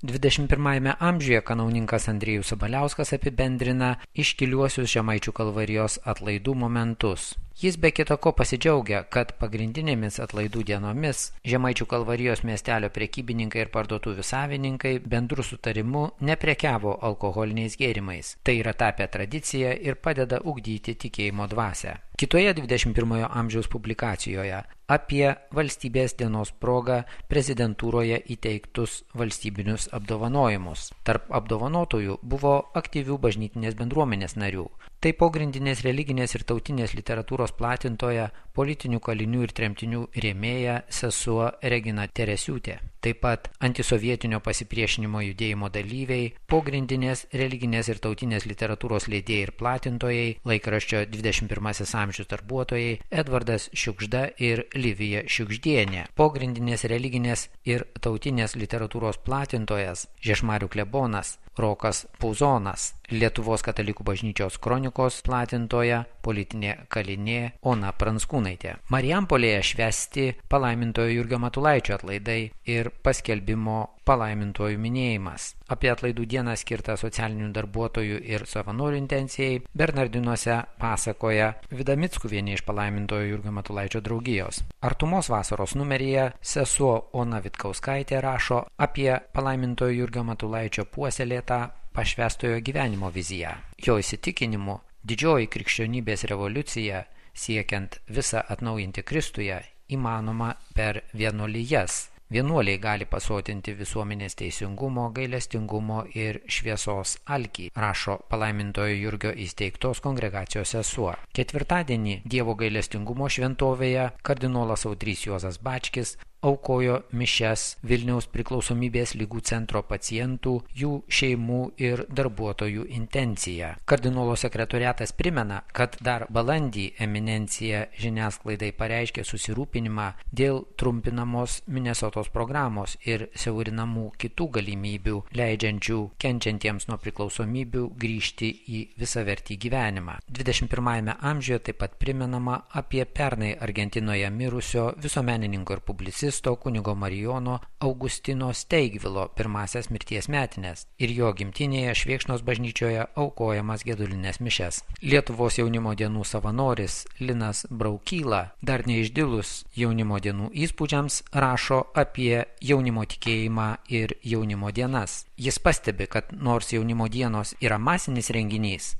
21 amžiuje kanauninkas Andriejus Sabaliauskas apibendrina iškiliuosius Žemaičių kalvarijos atlaidų momentus. Jis be kita ko pasidžiaugia, kad pagrindinėmis atlaidų dienomis Žemaičių kalvarijos miestelio prekybininkai ir parduotuvių savininkai bendru sutarimu neprekiavo alkoholiniais gėrimais. Tai yra tapę tradicija ir padeda ugdyti tikėjimo dvasią. Kitoje 21 amžiaus publikacijoje apie valstybės dienos progą prezidentūroje įteiktus valstybinius apdovanojimus. Tarp apdovanotųjų buvo aktyvių bažnytinės bendruomenės narių. Tai pogrindinės religinės ir tautinės literatūros platintoja, politinių kalinių ir tremtinių rėmėja sesuo Regina Teresiūtė. Taip pat antisovietinio pasipriešinimo judėjimo dalyviai, pogrindinės religinės ir tautinės literatūros leidėjai ir platintojai, laikraščio 21 amžiaus darbuotojai Edvardas Šiugžda ir Livija Šiugždienė, pogrindinės religinės ir tautinės literatūros platintojas Žiežmarių klebonas Rokas Puzonas, Lietuvos katalikų bažnyčios kronikos platintoja, politinė kalinė Ona Pranskūnaitė. Marijampolėje švęsti palaimintojo Jurgio Matulaičio atlaidai ir paskelbimo palaimintojų minėjimas. Apie atlaidų dieną skirtą socialinių darbuotojų ir savanorių intencijai Bernardinuose pasakoja Vida Mickuvienė iš palaimintojo Jurgio Matulaičio draugijos. Artumos vasaros numeryje sesuo Ona Vitkauskaitė rašo apie palaimintojo Jurgio Matulaičio puoselėtą pašvęstojo gyvenimo viziją. Jo įsitikinimu, didžioji krikščionybės revoliucija, siekiant visą atnaujinti Kristuje, įmanoma per vienuolijas. Vienuoliai gali pasotinti visuomenės teisingumo, gailestingumo ir šviesos alkį, rašo palaimintojo Jurgio įsteigtos kongregacijos sesuo. Ketvirtadienį Dievo gailestingumo šventovėje kardinolas Audrys Juozas Bačkis aukojo mišias Vilniaus priklausomybės ligų centro pacientų, jų šeimų ir darbuotojų intenciją. Kardinolo sekretoriatas primena, kad dar balandį eminencija žiniasklaidai pareiškė susirūpinimą dėl trumpinamos Minesotos programos ir siaurinamų kitų galimybių, leidžiančių kenčiantiems nuo priklausomybių grįžti į visavertį gyvenimą. 21 amžiuje taip pat primenama apie pernai Argentinoje mirusio visuomenininko ir publicisto kunigo Marijono Augustino Steigvilo pirmasias mirties metinės ir jo gimtinėje Švėkšnos bažnyčioje aukojamas gedulinės mišias. Lietuvos jaunimo dienų savanoris Linas Braukyla, dar neišdilus jaunimo dienų įspūdžiams, rašo apie jaunimo tikėjimą ir jaunimo dienas. Jis pastebi, kad nors jaunimo dienos yra masinis renginys,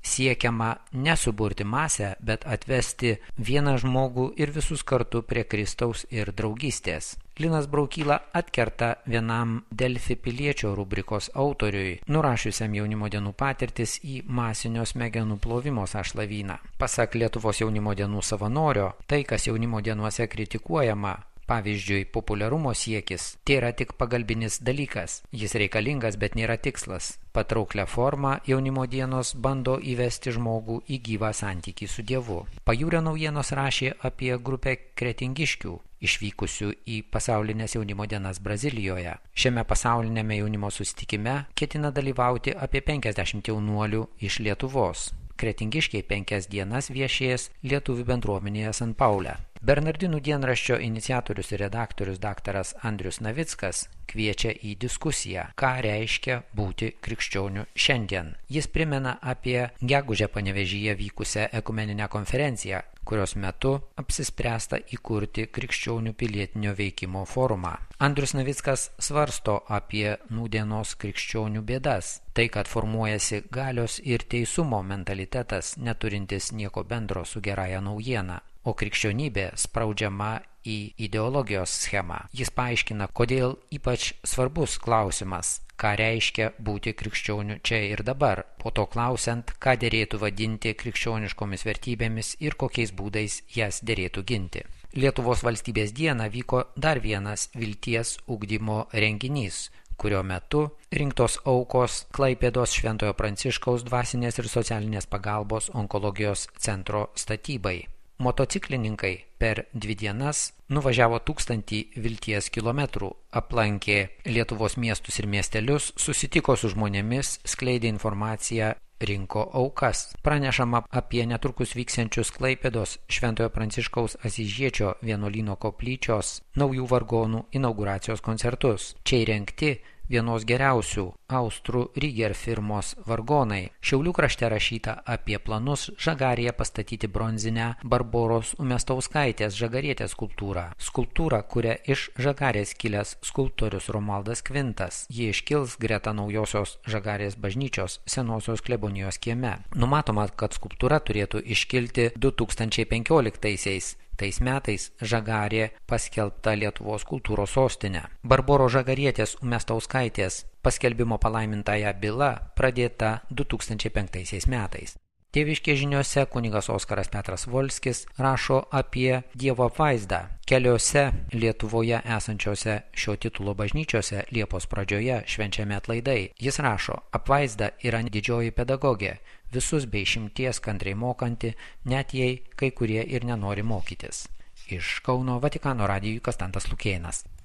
siekiama nesuburti masę, bet atvesti vieną žmogų ir visus kartu prie Kristaus ir draugystės. Linas Braukyla atkerta vienam Delfi piliečio rubrikos autoriui, nurašiusiam jaunimo dienų patirtis į masinio smegenų plovimo sąšlavyną. Pasak Lietuvos jaunimo dienų savanorio, tai, kas jaunimo dienuose kritikuojama, pavyzdžiui, populiarumo siekis, tai yra tik pagalbinis dalykas. Jis reikalingas, bet nėra tikslas. Patrauklią formą jaunimo dienos bando įvesti žmogų į gyvą santykį su Dievu. Pajūrio naujienos rašė apie grupę kretingiškių, išvykusių į pasaulinės jaunimo dienas Brazilijoje. Šiame pasaulinėme jaunimo susitikime ketina dalyvauti apie 50 jaunuolių iš Lietuvos. Kretingiškiai 5 dienas viešės lietuvių bendruomenėje San Paule. Bernardinų dienraščio iniciatorius ir redaktorius daktaras Andrius Navickas kviečia į diskusiją, ką reiškia būti krikščioniu šiandien. Jis primena apie gegužę Panevėžyje vykusią ekumeninę konferenciją, kurios metu apsispręsta įkurti krikščionių pilietinio veikimo forumą. Andrius Navickas svarsto apie nūdienos krikščionių bėdas. Tai, kad formuojasi galios ir teisumo mentalitetas, neturintis nieko bendro su gerąja naujiena, o krikščionybė spraudžiama į ideologijos schemą. Jis paaiškina, kodėl ypač svarbus klausimas, ką reiškia būti krikščioniu čia ir dabar, po to klausiant, ką derėtų vadinti krikščioniškomis vertybėmis ir kokiais būdais jas derėtų ginti. Lietuvos valstybės dieną vyko dar vienas vilties ugdymo renginys, kurio metu rinktos aukos Klaipėdos Šventojo Pranciškaus dvasinės ir socialinės pagalbos onkologijos centro statybai. Motociklininkai per 2 dienas nuvažiavo 1000 vilties kilometrų, aplankė Lietuvos miestus ir miestelius, susitiko su žmonėmis, skleidė informaciją, rinko aukas. Pranešama apie netrukus vyksiančius Klaipėdos Šventojo Pranciškaus Asyžiečio vienuolyno koplyčios naujų vargonų inauguracijos koncertus. Čia įrengti vienos geriausių austrų Rieger firmos vargonai. Šiaulių krašte rašyta apie planus Žagarėje pastatyti bronzinę Barboros Umestauskaitės Žagarietės skulptūrą. Skulptūrą kuria iš Žagarės kilęs skulptorius Romualdas Kvintas. Ji iškils greta naujosios Žagarės bažnyčios senosios klebonijos kieme. Numatoma, kad skulptūra turėtų iškilti 2015-aisiais. Tais metais Žagarė paskelbta Lietuvos kultūros sostinė. Barboros Žagarietės Umestauskaitės paskelbimo palaimintąja byla pradėta 2005 metais. Tėviškės žiniose kunigas Oskaras Petras Volskis rašo apie Dievo apvaizdą. Keliose Lietuvoje esančiose šio titulo bažnyčiose Liepos pradžioje švenčiami atlaidai. Jis rašo, apvaizda yra didžioji pedagogė, visus be išimties kantriai mokanti, net jei kai kurie ir nenori mokytis. Iš Kauno Vatikano radijui Konstantas Lukėnas.